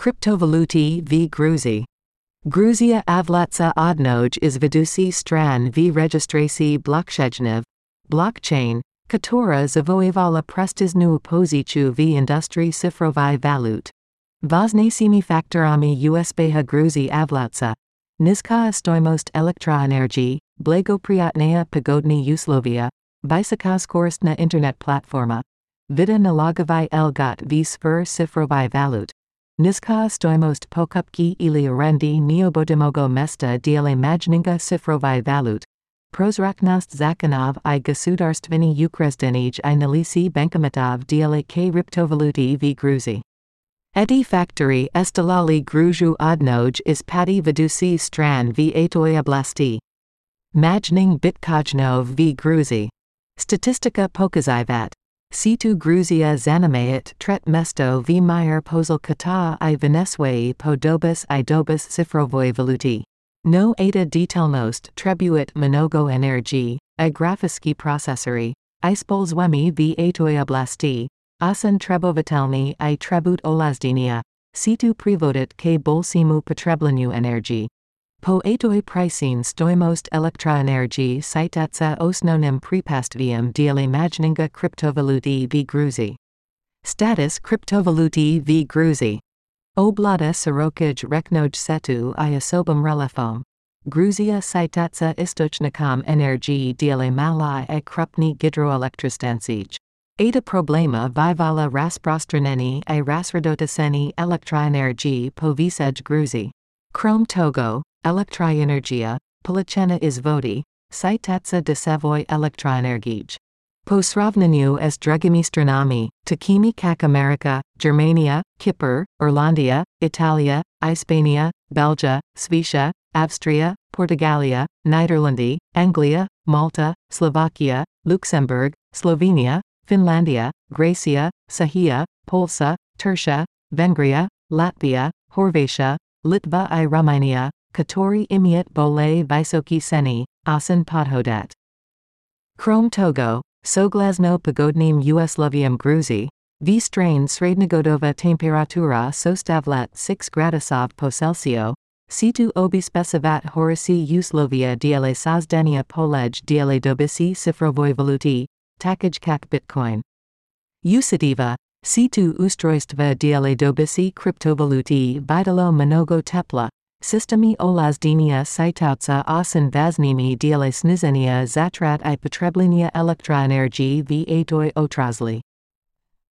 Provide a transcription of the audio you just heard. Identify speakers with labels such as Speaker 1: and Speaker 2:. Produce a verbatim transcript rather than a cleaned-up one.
Speaker 1: Kryptovaluty v Gruzi. Gruzia avlatsa odnoj is vedusi stran v rejestracji blockchain, blockchain, która zavoivala prestiżnu pozycję w industrii cyfrowej walut. Ważnymi faktorami usbeha Gruzji avlatsa. Niska stoimost elektroenergii, blagopriatnaya pogodni uslovia, vysoka skorostna internet platforma. Vida nalogovai elgot v sfer cyfrowej walut. Niska stoimost pokupki ili arendi neobodimogo mesta diele majninga cyfrowej walut. Prozraknost zakonov I gasudarstveni ukrezdенij I nalisi bankomatov diele k kryptovaluty v Gruzi. Eti factory estalali Gruju odnoj is pati vedusi stran v atoi oblasti. Majning bitkojno v Gruzi. Statistika pokazivat. Situ Gruzia zanimayet tret mesto v mir pozl kata I Venezuela podobis I dobis cifrovoi valuti. No eta detailnost trebuit mnogo energy, I grafiski processori, I spolzwemi v atoi oblasti. Asen trebovatelni I trebut olazdinia, situ privodit k bolsimu potreblenu energy. Po atoi pricing stoimost elektroenergy sitatsa osnonim prepastvium diele majninga kryptovaluty v Gruzi. Status kryptovaluty v Gruzi. Oblada sirokaj reknoj setu I osobom relefom. Gruzia sitatsa istochnikam energy diele malai I krupni gidroelektrostancij. Ada problema vyvala rasprostraneni I rasradotaseni elektroenergy povisej Gruzi. Krom togo, elektroenergia, polichena izvodi, sitatsa desevoi elektroenergij. Po sravneniu s drugimi stranami, takimi kak America, Germania, Kipr, Irlandia, Italia, Ispania, Belgia, Svicia, Avstria, Portugalia, Niderlandi, Anglia, Malta, Slovakia, Luxembourg, Slovenia, Finlandia, Gracia, Sahia, Polsa, Tertia, Vengria, Latvia, Horvatia, Litva I Romania, Katori imiet bole visoki seni, asen podhodat. Krom togo, soglasno pogodnim uslovium Gruzi, v strain srednjogodova temperatura sostavlat six gradusov po Celsiu, situ obispecivat horisi uslovia diele sazdania polej diele dobisi cifrovoi valuti, takaj kak bitcoin. Usitiva, situ ustrojstva diele dobisi kryptovaluti vidalo mnogo tepla, systemi olazdinia sitautsa osen vaznimi diele snizenia zatrat I potreblenia elektroenergy v atoi otrazli.